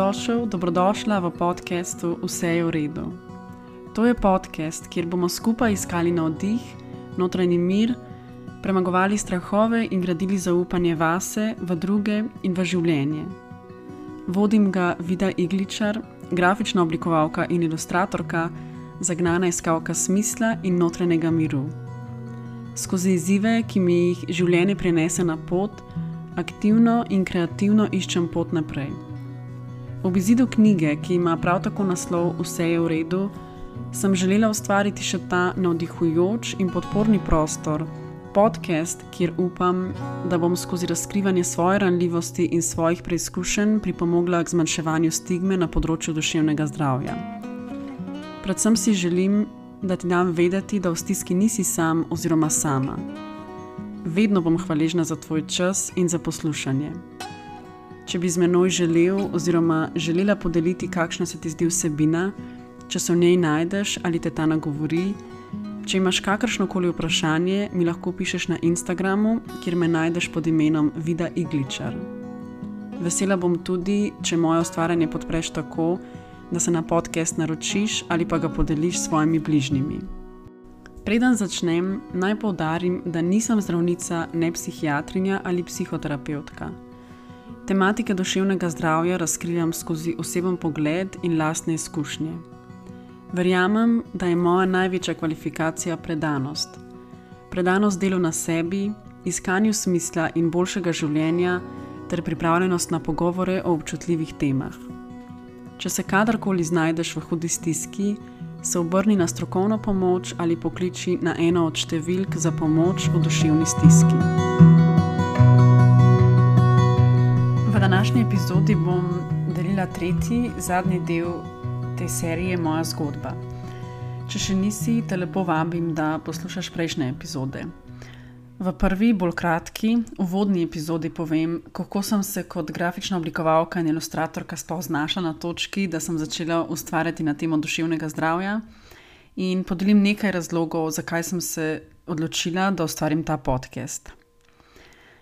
Dobrodošla v podcastu Vse je v redu. To je podcast, kjer bomo skupaj iskali navdih, notranji mir, premagovali strahove in gradili zaupanje vase, v druge in v življenje. Vodim ga Vida Igličar, grafična oblikovalka in ilustratorka, zagnana iskalka smisla in notranjega miru. Skozi izzive, ki mi jih življenje prinese na pot, aktivno in kreativno iščem pot naprej. Ob izidu knjige, ki ima prav tako naslov Vse je v redu, sem želela ustvariti še ta navdihujoč in podporni prostor, podcast, kjer upam, da bom skozi razkrivanje svoje ranljivosti in svojih preizkušenj pripomogla k zmanjševanju stigme na področju duševnega zdravja. Predvsem si želim, da ti dam vedeti, da v stiski nisi sam oziroma sama. Vedno bom hvaležna za tvoj čas in za poslušanje. Če bi z menoj želel oziroma želela podeliti, kakšna se ti zdi vsebina, če se v njej najdeš ali te ta nagovori, če imaš kakršnokoli vprašanje, mi lahko pišeš na Instagramu, kjer me najdeš pod imenom Vida Igličar. Vesela bom tudi, če moje ustvarjanje podpreš tako, da se na podcast naročiš ali pa ga podeliš s svojimi bližnjimi. Preden začnem, naj poudarim, da nisem zdravnica, ne psihiatrinja ali psihoterapevtka. Tematike duševnega zdravja razkrivam skozi oseben pogled in lastne izkušnje. Verjamem, da je moja največja kvalifikacija predanost. Predanost delu na sebi, iskanju smisla in boljšega življenja ter pripravljenost na pogovore o občutljivih temah. Če se kadarkoli znajdeš v hudi stiski, se obrni na strokovno pomoč ali pokliči na eno od številk za pomoč v duševni stiski. V današnji epizodi bom delila tretji, zadnji del te serije Moja zgodba. Če še nisi, te lepo vabim, da poslušaš prejšnje epizode. V prvi, bolj kratki, uvodni epizodi povem, kako sem se kot grafična oblikovalka in ilustratorka sploh znašla na točki, da sem začela ustvarjati na temo duševnega zdravja in podelim nekaj razlogov, zakaj sem se odločila, da ustvarim ta podcast.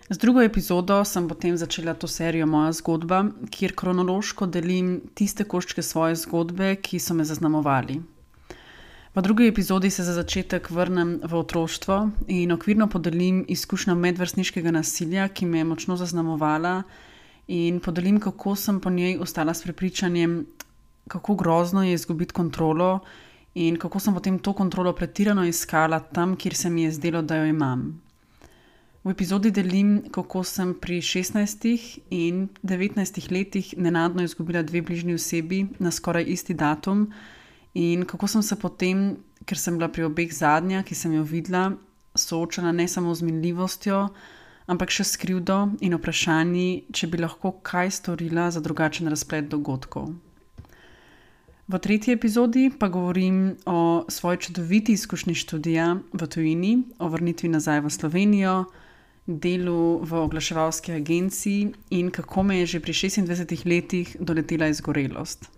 Z drugo epizodo sem potem začela to serijo Moja zgodba, kjer kronološko delim tiste koščke svoje zgodbe, ki so me zaznamovali. V drugi epizodi se za začetek vrnem v otroštvo in okvirno podelim izkušnjo medvrstniškega nasilja, ki me je močno zaznamovala, in podelim, kako sem po njej ostala s prepričanjem, kako grozno je izgubiti kontrolo in kako sem potem to kontrolo pretirano iskala tam, kjer se mi je zdelo, da jo imam. V epizodi delim, kako sem pri 16 in 19 letih nenadno izgubila 2 bližnji osebi na skoraj isti datum, in kako sem se potem, ker sem bila pri obeh zadnja, ki sem jo videla, soočala ne samo z minljivostjo, ampak še s krivdo in vprašanji, če bi lahko kaj storila za drugačen razplet dogodkov. V tretji epizodi pa govorim o svoji čudoviti izkušnji študija v tujini, o vrnitvi nazaj v Slovenijo, delu v oglaševalski agenciji in kako me je že pri 26 letih doletela izgorelost.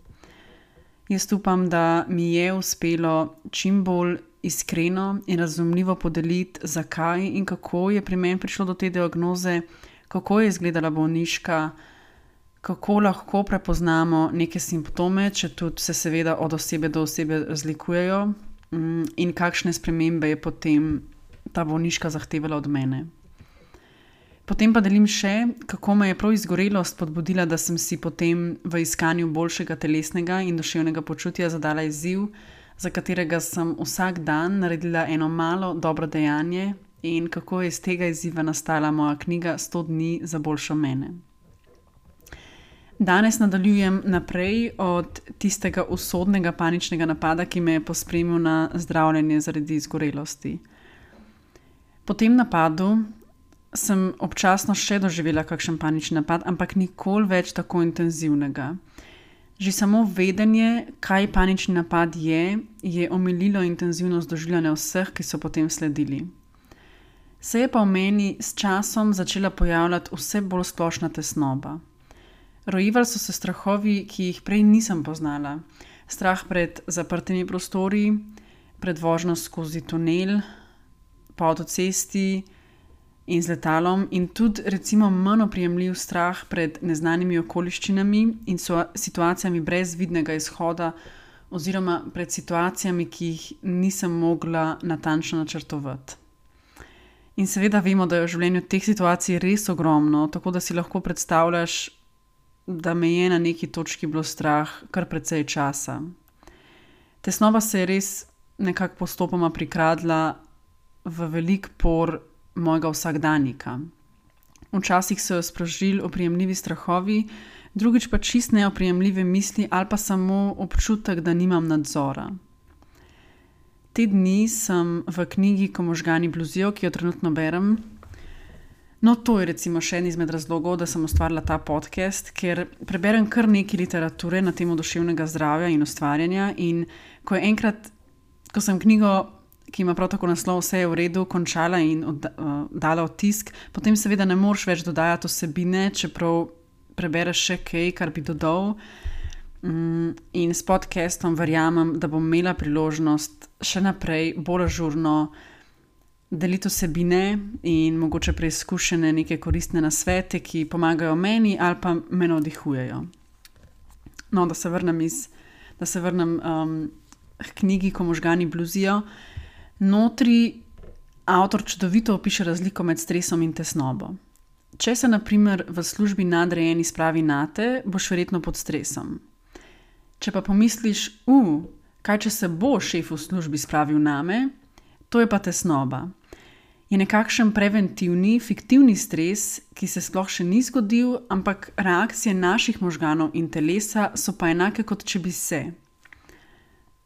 Jaz upam, da mi je uspelo čim bolj iskreno in razumljivo podeliti, zakaj in kako je pri meni prišlo do te diagnoze, kako je izgledala bolniška, kako lahko prepoznamo neke simptome, če tudi se seveda od osebe do osebe razlikujejo, in kakšne spremembe je potem ta bolniška zahtevala od mene. Potem pa delim še, kako me je prav izgorelost spodbudila, da sem si potem v iskanju boljšega telesnega in duševnega počutja zadala izziv, za katerega sem vsak dan naredila eno malo dobro dejanje, in kako je iz tega izziva nastala moja knjiga 100 dni za boljšo mene. Danes nadaljujem naprej od tistega usodnega paničnega napada, ki me je pospremil na zdravljenje zaradi izgorelosti. Po tem napadu sem občasno še doživela kakšen panični napad, ampak nikoli več tako intenzivnega. Že samo vedenje, kaj panični napad je omililo intenzivnost doživljanja vseh, ki so potem sledili. Se je pa v meni s časom začela pojavljati vse bolj splošna tesnoba. Rojevali so se strahovi, ki jih prej nisem poznala. Strah pred zaprtimi prostori, pred vožnjo skozi tunel, po avtocesti in z letalom, in tudi recimo manj oprijemljiv strah pred neznanimi okoliščinami in situacijami brez vidnega izhoda, oziroma pred situacijami, ki jih nisem mogla natančno načrtovati. In seveda vemo, da je v življenju teh situacij res ogromno, tako da si lahko predstavljaš, da me je na neki točki bilo strah kar precej časa. Tesnoba se je res nekako postopoma prikradla v velik por mojega vsakdanjika. Včasih so jo sprožili oprijemljivi strahovi, drugič pa čist neoprijemljive misli ali pa samo občutek, da nimam nadzora. Te dni sem v knjigi Ko možgani bluzijo, ki jo trenutno berem. No, to je recimo še en izmed razlogov, da sem ustvarila ta podcast, ker preberem kar nekaj literature na temo duševnega zdravja in ustvarjanja, in ko sem knjigo, ki ima prav tako naslov Vse je v redu, končala in dala v tisk, potem seveda ne moreš več dodajati vsebine, čeprav prebereš še kaj, kar bi dodal. In s podcastom verjamem, da bom imela priložnost še naprej bolj ažurno deliti vsebine in mogoče preizkušene neke koristne nasvete, ki pomagajo meni ali pa me navdihujejo. No, da se vrnem k knjigi Ko možgani bluzijo. Notri avtor čudovito opiše razliko med stresom in tesnobo. Če se na primer v službi nadrejeni spravi nate, boš verjetno pod stresom. Če pa pomisliš, kaj če se bo šef v službi spravil name, to je pa tesnoba. Je nekakšen preventivni, fiktivni stres, ki se sploh še ni zgodil, ampak reakcije naših možganov in telesa so pa enake, kot če bi se.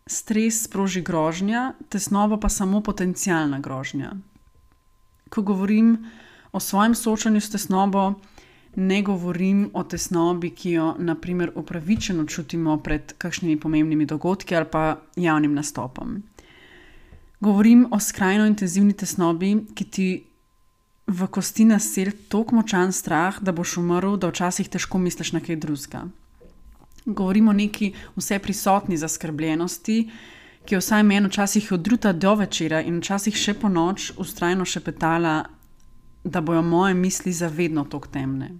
Stres sproži grožnja, tesnoba pa samo potencialna grožnja. Ko govorim o svojem soočanju s tesnobo, ne govorim o tesnobi, ki jo na primer upravičeno čutimo pred kakšnimi pomembnimi dogodki ali pa javnim nastopom. Govorim o skrajno intenzivni tesnobi, ki ti v kosti naseli toliko močan strah, da boš umrl, da včasih težko misliš na kaj drugega. Govorim o neki vse prisotni zaskrbljenosti, ki je vsaj meni včasih od jutra do večera in včasih še po noč vztrajno šepetala, da bojo moje misli zavedno toliko temne.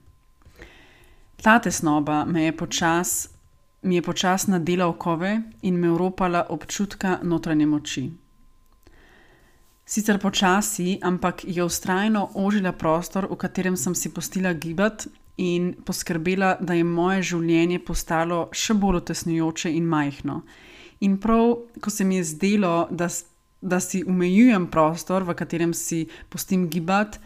Ta tesnoba mi je počas nadela okove in me oropala občutka notranje moči. Sicer počasi, ampak je vztrajno ožila prostor, v katerem sem si pustila gibati in poskrbela, da je moje življenje postalo še bolj utesnjujoče in majhno. In prav, ko se mi je zdelo, da si omejujem prostor, v katerem si pustim gibati,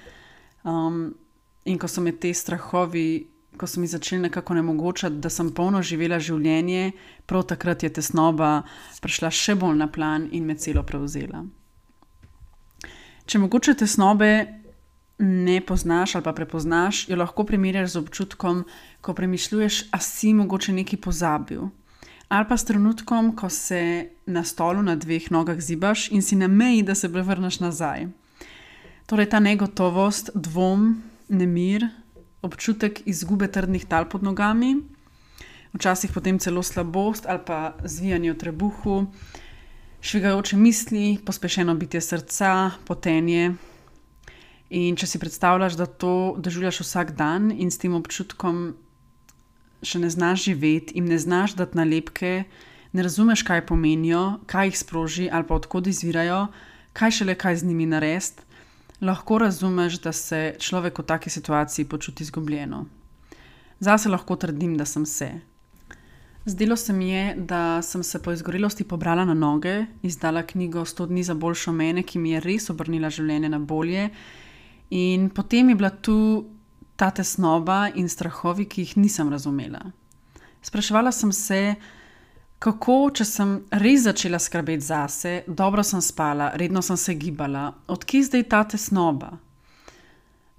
in ko so me te strahovi, ko so mi začeli nekako onemogočati, da sem polno živela življenje, prav takrat je tesnoba prišla še bolj na plan in me celo prevzela. Če mogoče tesnobe ne poznaš ali pa prepoznaš, jo lahko primerjaš z občutkom, ko premišljuješ, a si mogoče nekaj pozabil. Ali pa s trenutkom, ko se na stolu na 2 nogah zibaš in si na meji, da se prevrneš nazaj. Torej ta negotovost, dvom, nemir, občutek izgube trdnih tal pod nogami, včasih potem celo slabost ali pa zvijanje v trebuhu, švigajoče misli, pospešeno bitje srca, potenje. In če si predstavljaš, da to doživljaš vsak dan in s tem občutkom še ne znaš živeti in ne znaš dati nalepke, ne razumeš, kaj pomenijo, kaj jih sproži ali pa odkod izvirajo, kaj šele kaj z njimi narediti, lahko razumeš, da se človek v taki situaciji počuti izgubljeno. Zase lahko trdim, da sem se. Zdelo se mi je, da sem se po izgorelosti pobrala na noge, izdala knjigo 100 dni za boljšo mene, ki mi je res obrnila življenje na bolje, in potem je bila tu ta tesnoba in strahovi, ki jih nisem razumela. Spraševala sem se, kako, če sem res začela skrbeti zase, dobro sem spala, redno sem se gibala, od kje zdaj ta tesnoba?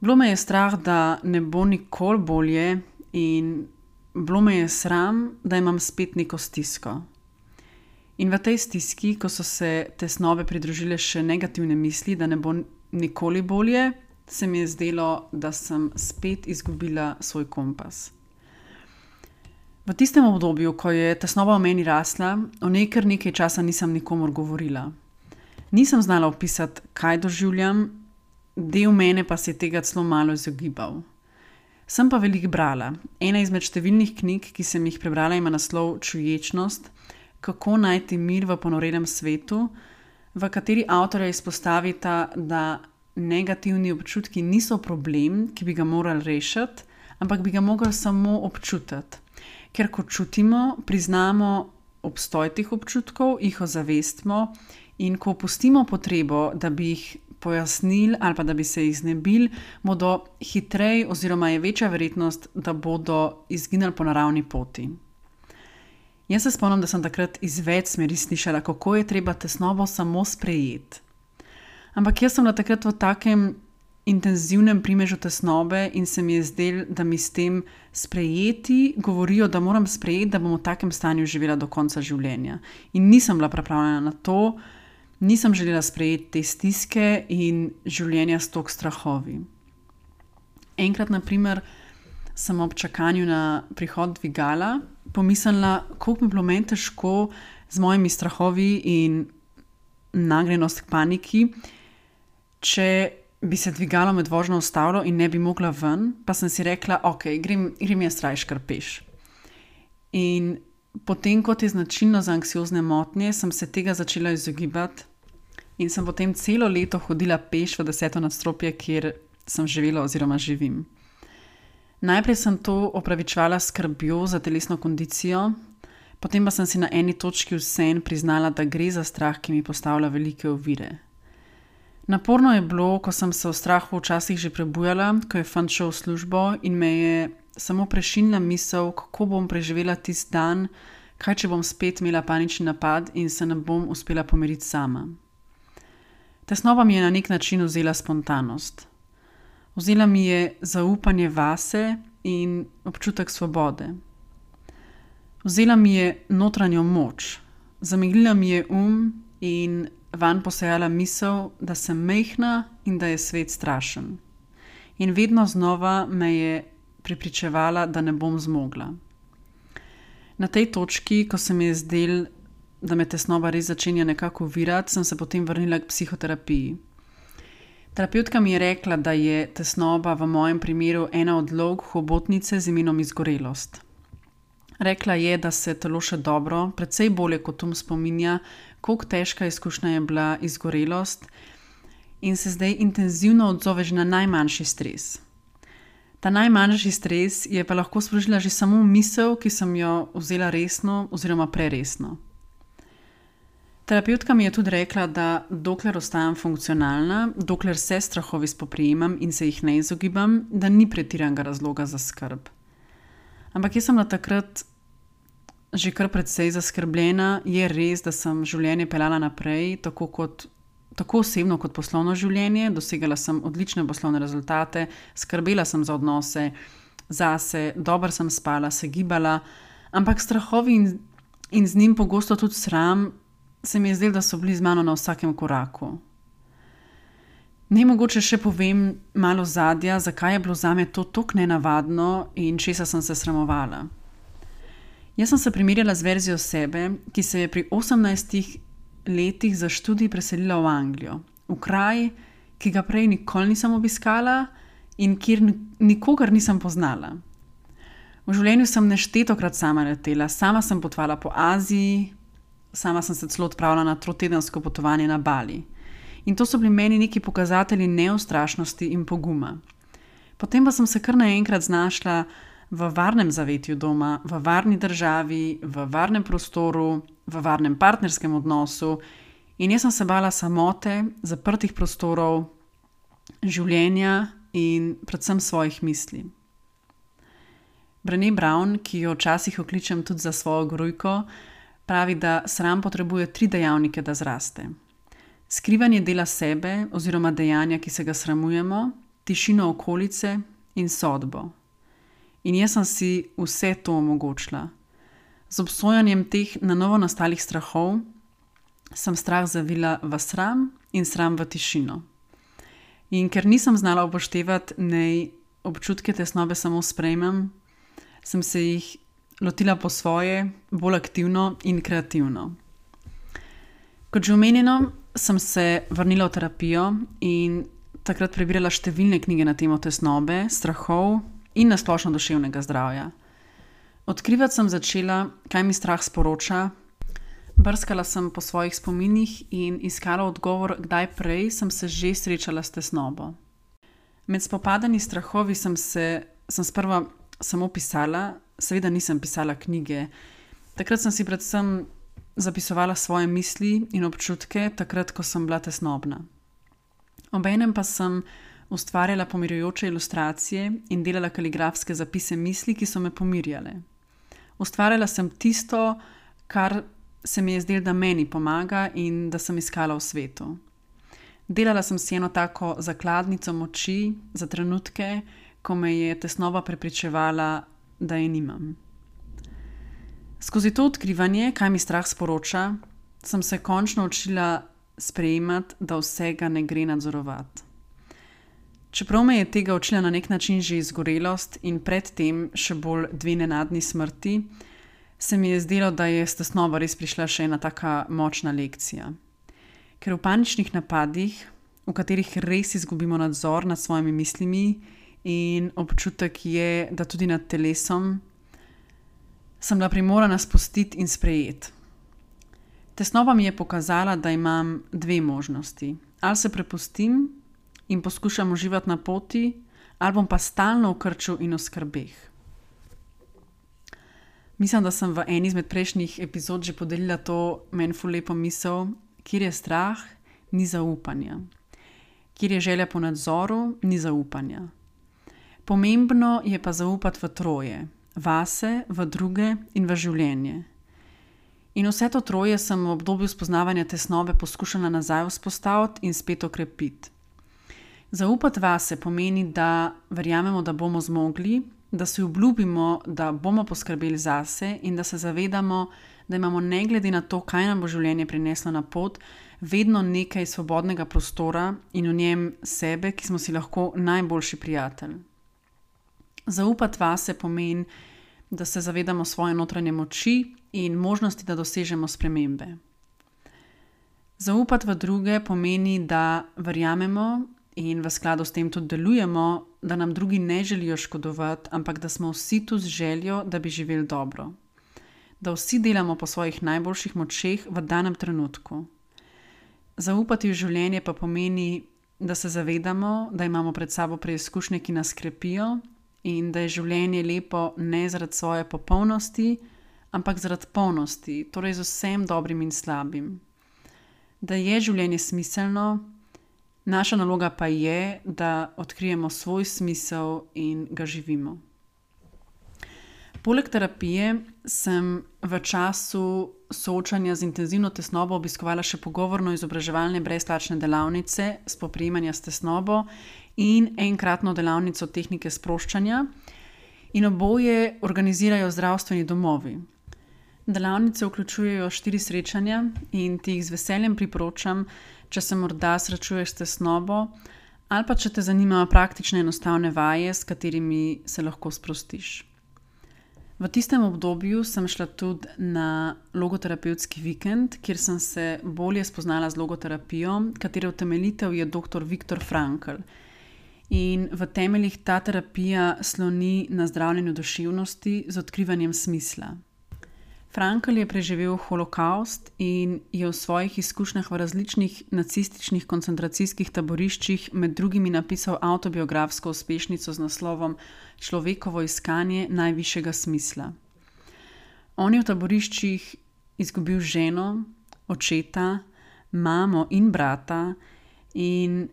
Bilo me je strah, da ne bo nikoli bolje, in bilo me je sram, da imam spet neko stisko. In v tej stiski, ko so se tesnobe pridružile še negativne misli, da ne bo nikoli bolje, se mi je zdelo, da sem spet izgubila svoj kompas. V tistem obdobju, ko je tesnoba v meni rasla, o njej kar nekaj časa nisem nikomur govorila. Nisem znala opisati, kaj doživljam, del mene pa se je tega celo malo izogibal. Sem pa veliko brala. Ena izmed številnih knjig, ki sem jih prebrala, ima naslov Čuječnost, kako najti mir v ponorenem svetu, v kateri avtorja izpostavita, da negativni občutki niso problem, ki bi ga morali rešiti, ampak bi ga morali samo občutiti. Ker ko čutimo, priznamo obstoj teh občutkov, jih ozavestimo in ko opustimo potrebo, da bi jih pojasnili ali pa da bi se jih znebili, bodo hitreje oziroma je večja verjetnost, da bodo izginili po naravni poti. Jaz se spomnim, da sem takrat iz več smeri slišala, kako je treba tesnobo samo sprejeti. Ampak jaz sem bila takrat v takem intenzivnem primežu tesnobe in se mi je zdelo, da mi s tem sprejeti govorijo, da moram sprejeti, da bom v takem stanju živela do konca življenja. In nisem bila pripravljena na to, nisem želela sprejeti te stiske in življenja s toliko strahovi. Enkrat, na primer, sem ob čakanju na prihod dvigala pomislila, koliko bi bilo meni težko z mojimi strahovi in nagnjenost k paniki, če bi se dvigalo med vožnjo ustavilo in ne bi mogla ven, pa sem si rekla, ok, grem jaz rajš kar peš. In potem, kot je značilno za anksiozne motnje, sem se tega začela izogibati in sem potem celo leto hodila peš v 10. nadstropje, kjer sem živela oziroma živim. Najprej sem to opravičevala s skrbjo za telesno kondicijo, potem pa sem si na eni točki vseeno priznala, da gre za strah, ki mi postavlja velike ovire. Naporno je bilo, ko sem se v strahu včasih že prebujala, ko je fant šel v službo in me je samo prešinila misel, kako bom preživela tisti dan, kaj če bom spet imela panični napad in se ne bom uspela pomiriti sama. Tesnoba mi je na nek način vzela spontanost. Vzela mi je zaupanje vase in občutek svobode. Vzela mi je notranjo moč, zameglila mi je in vanj posejala misel, da sem majhna in da je svet strašen. In vedno znova me je prepričevala, da ne bom zmogla. Na tej točki, ko se mi je zdelo, da me tesnoba res začenja nekako ovirati, sem se potem vrnila k psihoterapiji. Terapeutka mi je rekla, da je tesnoba v mojem primeru ena od vlog hobotnice z imenom izgorelost. Rekla je, da se telo še dobro, precej bolje kot spominja, koliko težka izkušnja je bila izgorelost in se zdaj intenzivno odzove že na najmanjši stres. Ta najmanjši stres je pa lahko sprožila že samo misel, ki sem jo vzela resno oziroma preresno. Terapeutka mi je tudi rekla, da dokler ostajam funkcionalna, dokler se strahovi spoprijemam in se jih ne izogibam, da ni pretiranega razloga za skrb. Ampak jaz sem bila takrat že kar precej zaskrbljena. Je res, da sem življenje peljala naprej, tako osebno kot poslovno življenje. Dosegala sem odlične poslovne rezultate, skrbela sem za odnose, zase, dobro sem spala, se gibala, ampak strahovi in z njim pogosto tudi sram se mi je zdelo, da so bili z mano na vsakem koraku. Naj mogoče še povem malo ozadja, zakaj je bilo zame to tako nenavadno in česa sem se sramovala. Jaz sem se primerjala z verzijo sebe, ki se je pri 18 letih za študij preselila v Anglijo, v kraj, ki ga prej nikoli nisem obiskala in kjer nikogar nisem poznala. V življenju sem neštetokrat sama letela, sama sem potovala po Aziji, sama sem se celo odpravila na 3-tedensko potovanje na Bali. In to so bili meni neki pokazatelji neustrašnosti in poguma. Potem pa sem se kar naenkrat znašla v varnem zavetju doma, v varni državi, v varnem prostoru, v varnem partnerskem odnosu in jaz sem se bala samote, zaprtih prostorov, življenja in predvsem svojih misli. Brené Brown, ki jo včasih okličem tudi za svojo grujko, pravi, da sram potrebuje 3 dejavnike, da zraste. Skrivanje dela sebe oziroma dejanja, ki se ga sramujemo, tišino okolice in sodbo. In jaz sem si vse to omogočila. Z obsojanjem teh na novo nastalih strahov sem strah zavila v sram in sram v tišino. In ker nisem znala upoštevati, naj občutke tesnobe samo sprejmem, sem se jih lotila po svoje, bolj aktivno in kreativno. Kot že omenjeno, sem se vrnila v terapijo in takrat prebirala številne knjige na temo tesnobe, strahov in nasplošno duševnega zdravja. Odkrivati sem začela, kaj mi strah sporoča, brskala sem po svojih spominih in iskala odgovor, kdaj prej sem se že srečala s tesnobo. Med spopadanji s strahovi sem sprva samo pisala, seveda nisem pisala knjige. Takrat sem si predvsem zapisovala svoje misli in občutke, takrat, ko sem bila tesnobna. Obenem pa sem ustvarjala pomirjujoče ilustracije in delala kaligrafske zapise misli, ki so me pomirjale. Ustvarjala sem tisto, kar se mi je zdelo, da meni pomaga in da sem iskala v svetu. Delala sem si eno tako zakladnico moči za trenutke, ko me je tesnoba prepričevala, da je nimam. Skozi to odkrivanje, kaj mi strah sporoča, sem se končno učila sprejemati, da vsega ne gre nadzorovati. Čeprav me je tega učila na nek način že izgorelost in predtem še bolj 2 nenadni smrti, se mi je zdelo, da je s tesnobo res prišla še ena taka močna lekcija. Ker v paničnih napadih, v katerih res izgubimo nadzor nad svojimi mislimi in občutek je, da tudi nad telesom, sem bila primorana spustiti in sprejeti. Tesnoba mi je pokazala, da imam 2 možnosti. Ali se prepustim in poskušam uživati na poti, ali bom pa stalno v krču in v skrbeh. Mislim, da sem v eni izmed prejšnjih epizod že podelila to meni ful lepo misel, kjer je strah, ni zaupanja. Kjer je želja po nadzoru, ni zaupanja. Pomembno je pa zaupati v troje, vase, v druge in v življenje. In vse to troje sem v obdobju spoznavanja tesnobe poskušala nazaj vzpostaviti in spet okrepiti. Zaupati vase pomeni, da verjamemo, da bomo zmogli, da si obljubimo, da bomo poskrbeli zase in da se zavedamo, da imamo ne glede na to, kaj nam bo življenje prineslo na pot, vedno nekaj svobodnega prostora in v njem sebe, ki smo si lahko najboljši prijatelj. Zaupati vase pomeni, da se zavedamo svoje notranje moči in možnosti, da dosežemo spremembe. Zaupati v druge pomeni, da verjamemo in v skladu s tem tudi delujemo, da nam drugi ne želijo škodovati, ampak da smo vsi tu z željo, da bi živeli dobro. Da vsi delamo po svojih najboljših močeh v danem trenutku. Zaupati v življenje pa pomeni, da se zavedamo, da imamo pred sabo preizkušnje, ki nas krepijo in da je življenje lepo ne zaradi svoje popolnosti, ampak zaradi polnosti, torej z vsem dobrim in slabim. Da je življenje smiselno, naša naloga pa je, da odkrijemo svoj smisel in ga živimo. Poleg terapije sem v času soočanja z intenzivno tesnobo obiskovala še pogovorno-izobraževalne brezplačne delavnice spoprijemanja s tesnobo in enkratno delavnico tehnike sproščanja in oboje organizirajo zdravstveni domovi. Delavnice vključujejo 4 srečanja in ti jih z veseljem priporočam, če se morda srečuješ s tesnobo ali pa če te zanimajo praktične enostavne vaje, s katerimi se lahko sprostiš. V tistem obdobju sem šla tudi na logoterapevtski vikend, kjer sem se bolje spoznala z logoterapijo, katere utemeljitelj je dr. Viktor Frankl. In v temeljih ta terapija sloni na zdravljenju duševnosti z odkrivanjem smisla. Frankl je preživel holokavst in je v svojih izkušnjah v različnih nacističnih koncentracijskih taboriščih med drugimi napisal avtobiografsko uspešnico z naslovom Človekovo iskanje najvišjega smisla. On je v taboriščih izgubil ženo, očeta, mamo in brata in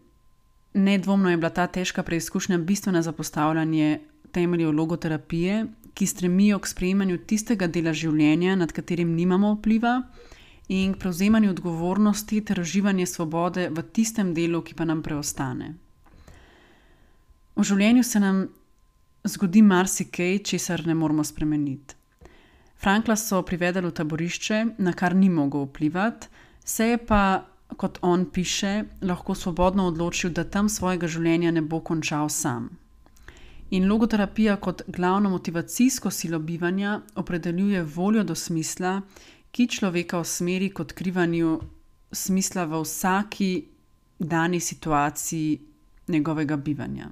nedvomno je bila ta težka preizkušnja bistvena za postavljanje temeljev logoterapije, ki stremijo k sprejemanju tistega dela življenja, nad katerim nimamo vpliva, in k prevzemanju odgovornosti ter uživanje svobode v tistem delu, ki pa nam preostane. V življenju se nam zgodi marsikaj, česar ne moremo spremeniti. Frankla so privedali v taborišče, na kar ni mogel vplivati, se je pa, kot on piše, lahko svobodno odločil, da tam svojega življenja ne bo končal sam. In logoterapija kot glavno motivacijsko silo bivanja opredeljuje voljo do smisla, ki človeka usmeri k odkrivanju smisla v vsaki dani situaciji njegovega bivanja.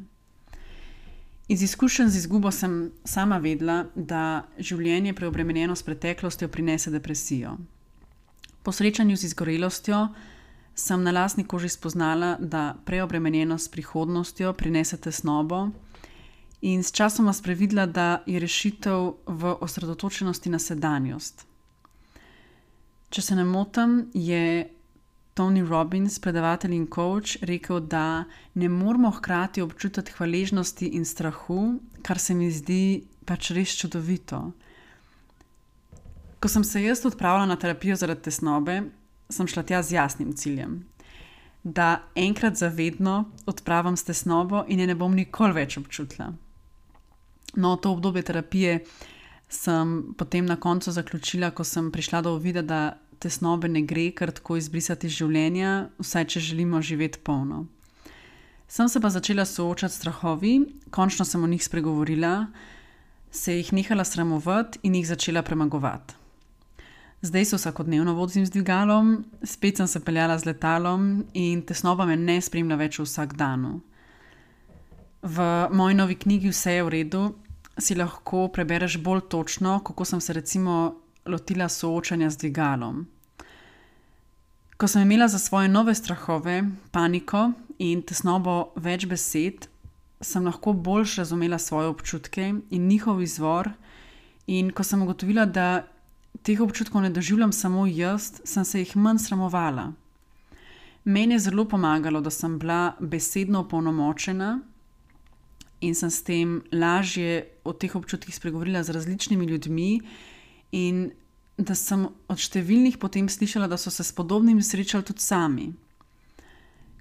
Iz izkušenj z izgubo sem sama vedela, da življenje preobremenjeno s preteklostjo prinese depresijo. Po srečanju z izgorelostjo sem na lastni koži spoznala, da preobremenjenost s prihodnostjo prinese tesnobo in s časoma sprevidela, da je rešitev v osredotočenosti na sedanjost. Če se ne motim, je Tony Robbins, predavatelj in coach, rekel, da ne moramo hkrati občutiti hvaležnosti in strahu, kar se mi zdi pač res čudovito. Ko sem se jaz odpravila na terapijo zaradi tesnobe, sem šla tja z jasnim ciljem, da enkrat zavedno odpravim s tesnobo in je ne bom nikoli več občutila. No, to obdobje terapije sem potem na koncu zaključila, ko sem prišla do uvida, da tesnobe ne gre kar tako izbrisati iz življenja, vsaj če želimo živeti polno. Sem se pa začela soočati s strahovi, končno sem o njih spregovorila, se jih nehala sramovati in jih začela premagovati. Zdaj se vsakodnevno vozim z dvigalom, spet sem se peljala z letalom in tesnoba me ne spremlja več v vsakdanu. V moji novi knjigi Vse je v redu si lahko prebereš bolj točno, kako sem se recimo lotila soočanja z dvigalom. Ko sem imela za svoje nove strahove, paniko in tesnobo več besed, sem lahko bolj razumela svoje občutke in njihov izvor, in ko sem ugotovila, da teh občutkov ne doživljam samo jaz, sem se jih manj sramovala. Meni je zelo pomagalo, da sem bila besedno opolnomočena in sem s tem lažje o teh občutkih spregovorila z različnimi ljudmi in da sem od številnih potem slišala, da so se s podobnim srečali tudi sami.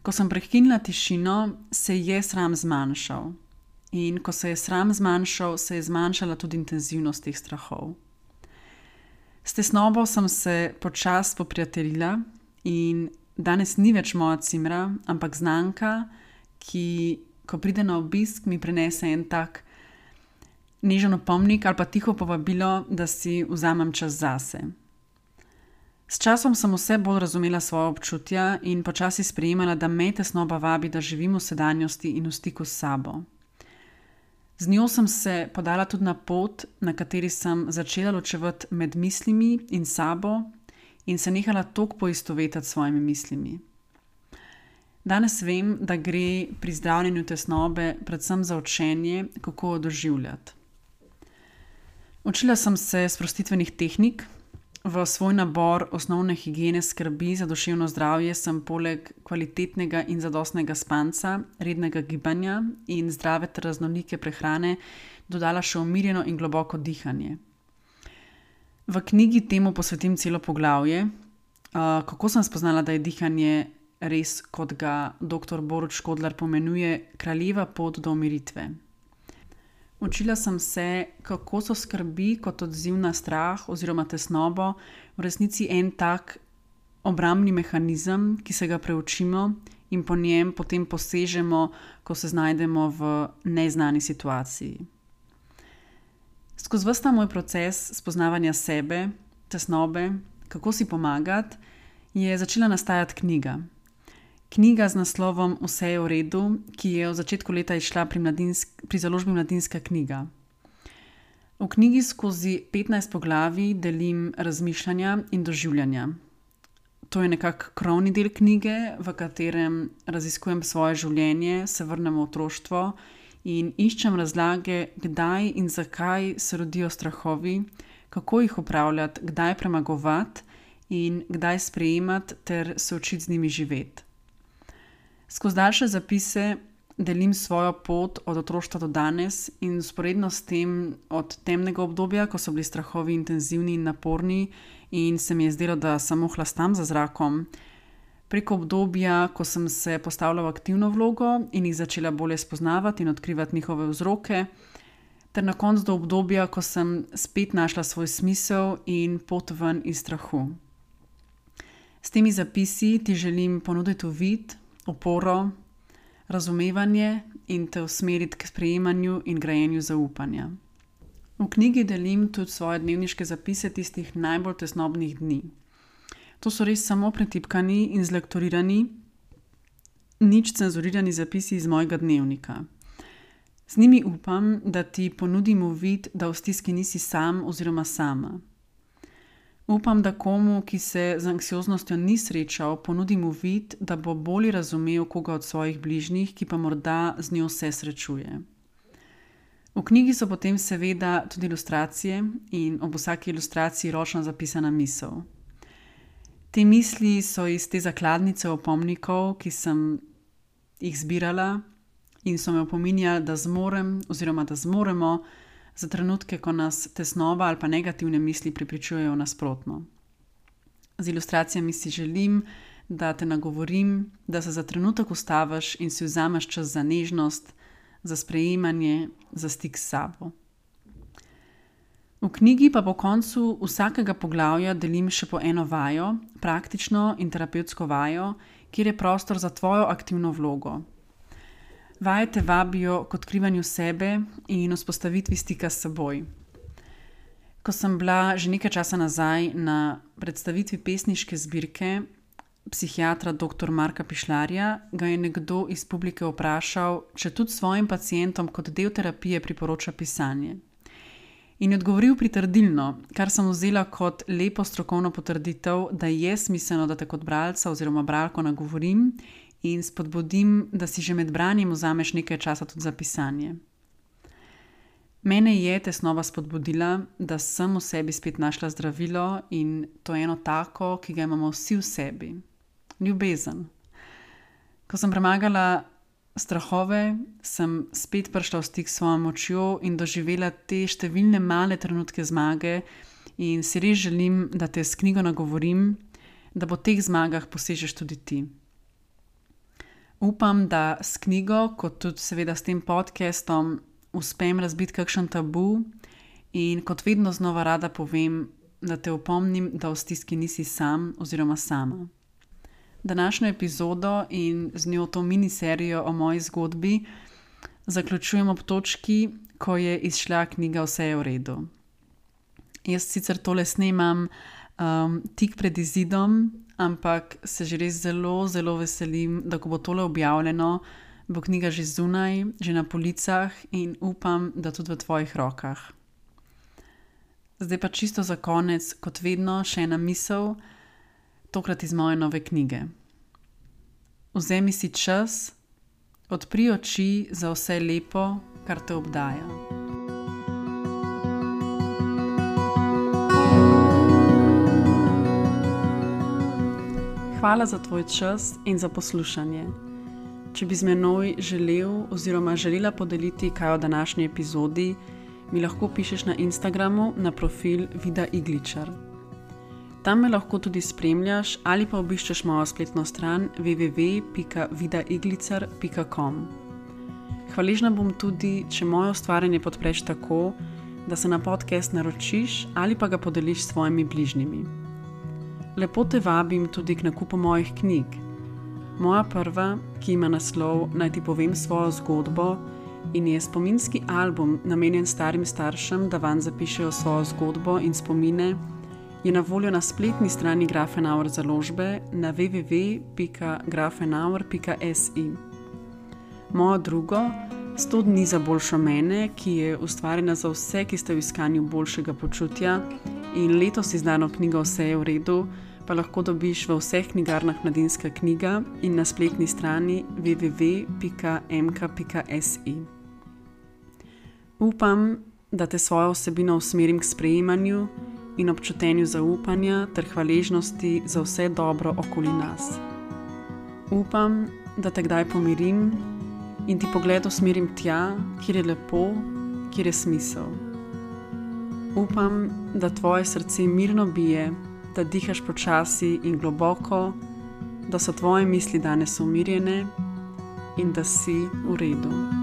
Ko sem prekinila tišino, se je sram zmanjšal. In ko se je sram zmanjšal, se je zmanjšala tudi intenzivnost teh strahov. S tesnobo sem se počasi poprijateljila in danes ni več moja cimra, ampak znanka, ki, ko pride na obisk, mi prinese en tak nežen opomnik ali pa tiho povabilo, da si vzamem čas zase. S časom sem vse bolj razumela svoje občutja in počasi sprejemala, da me tesnoba vabi, da živim v sedanjosti in v stiku s sabo. Z njo sem se podala tudi na pot, na kateri sem začela ločevati med mislimi in sabo in se nehala toliko poistovetiti s svojimi mislimi. Danes vem, da gre pri zdravljenju tesnobe predvsem za učenje, kako jo doživljati. Učila sem se sprostitvenih tehnik. V svoj nabor osnovne higiene skrbi za duševno zdravje sem poleg kvalitetnega in zadostnega spanca, rednega gibanja in zdrave ter raznolike prehrane dodala še umirjeno in globoko dihanje. V knjigi temu posvetim celo poglavje, kako sem spoznala, da je dihanje res, kot ga dr. Borut Škodlar pomenuje, kraljeva pot do umiritve. Učila sem se, kako so skrbi kot odziv na strah oziroma tesnobo v resnici en tak obrambni mehanizem, ki se ga preučimo in po njem potem posežemo, ko se znajdemo v neznani situaciji. Skozi ves ta moj proces spoznavanja sebe, tesnobe, kako si pomagati, je začela nastajati knjiga. Knjiga z naslovom Vse je v redu, ki je v začetku leta izšla pri založbi Mladinska knjiga. V knjigi skozi 15 poglavij delim razmišljanja in doživljanja. To je nekako krovni del knjige, v katerem raziskujem svoje življenje, se vrnem v otroštvo in iščem razlage, kdaj in zakaj se rodijo strahovi, kako jih upravljati, kdaj premagovati in kdaj sprejemati ter se učiti z njimi živeti. Skozi daljše zapise delim svojo pot od otroštva do danes in vzporedno s tem od temnega obdobja, ko so bili strahovi intenzivni in naporni in se mi je zdelo, da samo hlastam za zrakom, preko obdobja, ko sem se postavila v aktivno vlogo in jih začela bolje spoznavati in odkrivati njihove vzroke, ter na koncu do obdobja, ko sem spet našla svoj smisel in pot ven iz strahu. S temi zapisi ti želim ponuditi uvid, oporo, razumevanje in te usmeriti k sprejemanju in grajenju zaupanja. V knjigi delim tudi svoje dnevniške zapise tistih najbolj tesnobnih dni. To so res samo pretipkani in zlektorirani nič cenzurirani zapisi iz mojega dnevnika. Z njimi upam, da ti ponudim uvid, da v stiski nisi sam oziroma sama. Upam, da komu, ki se z anksioznostjo ni srečal, ponudim uvid, da bo bolje razumel koga od svojih bližnjih, ki pa morda z njo se srečuje. V knjigi so potem seveda tudi ilustracije in ob vsaki ilustraciji ročno zapisana misel. Te misli so iz te zakladnice opomnikov, ki sem jih zbirala in so me opominjali, da zmorem oziroma da zmoremo za trenutke, ko nas tesnoba ali pa negativne misli prepričujejo nasprotno. Z ilustracijami si želim, da te nagovorim, da se za trenutek ustaviš in si vzameš čas za nežnost, za sprejemanje, za stik s sabo. V knjigi pa po koncu vsakega poglavja delim še po eno vajo, praktično in terapevtsko vajo, kjer je prostor za tvojo aktivno vlogo. Vaje te vabijo k odkrivanju sebe in vzpostavitvi stika s seboj. Ko sem bila že nekaj časa nazaj na predstavitvi pesniške zbirke psihiatra dr. Marka Pišljarja, ga je nekdo iz publike vprašal, če tudi svojim pacientom kot del terapije priporoča pisanje. In je odgovoril pritrdilno, kar sem vzela kot lepo strokovno potrditev, da je smiselno, da te kot bralca oziroma bralko nagovorim in spodbudim, da si že med branjem vzameš nekaj časa tudi za pisanje. Mene je tesnoba spodbudila, da sem v sebi spet našla zdravilo in to je eno tako, ki ga imamo vsi v sebi. Ljubezen. Ko sem premagala strahove, sem spet prišla v stik s svojo močjo in doživela te številne male trenutke zmage in si res želim, da te s knjigo nagovorim, da po teh zmagah posežeš tudi ti. Upam, da s knjigo, kot tudi seveda s tem podcastom, uspem razbiti kakšen tabu in kot vedno znova rada povem, da te opomnim, da v stiski nisi sam oziroma sama. Današnjo epizodo in z njo to miniserijo o moji zgodbi zaključujem ob točki, ko je izšla knjiga Vse je v redu. Jaz sicer tole snemam tik pred izidom, ampak se že res zelo, zelo veselim, da ko bo tole objavljeno, bo knjiga že zunaj, že na policah in upam, da tudi v tvojih rokah. Zdaj pa čisto za konec, kot vedno, še ena misel, tokrat iz moje nove knjige. Vzemi si čas, odpri oči za vse lepo, kar te obdaja. Hvala za tvoj čas in za poslušanje. Če bi z menoj želel oziroma želela podeliti kaj o današnji epizodi, mi lahko pišeš na Instagramu na profil Vida Igličar. Tam me lahko tudi spremljaš ali pa obiščeš mojo spletno stran www.vidaiglicar.com. Hvaležna bom tudi, če moje ustvarjanje podpreš tako, da se na podcast naročiš ali pa ga podeliš s svojimi bližnjimi. Lepo te vabim tudi k nakupu mojih knjig. Moja prva, ki ima naslov Naj ti povem svojo zgodbo in je spominski album namenjen starim staršem, da vanj zapišejo svojo zgodbo in spomine, je na voljo na spletni strani Grafenauer založbe na www.grafenauer.si. Mojo drugo, 100 dni za boljšo mene, ki je ustvarjena za vse, ki ste v iskanju boljšega počutja in letos izdano knjigo Vse je v redu, pa lahko dobiš v vseh knjigarnah Mladinska knjiga in na spletni strani www.mk.si. Upam, da te svojo vsebino usmerim k sprejemanju in občutenju zaupanja ter hvaležnosti za vse dobro okoli nas. Upam, da te kdaj pomirim in ti pogled usmerim tja, kjer je lepo, kjer je smisel. Upam, da tvoje srce mirno bije, da dihaš počasi in globoko, da so tvoje misli danes umirjene in da si v redu.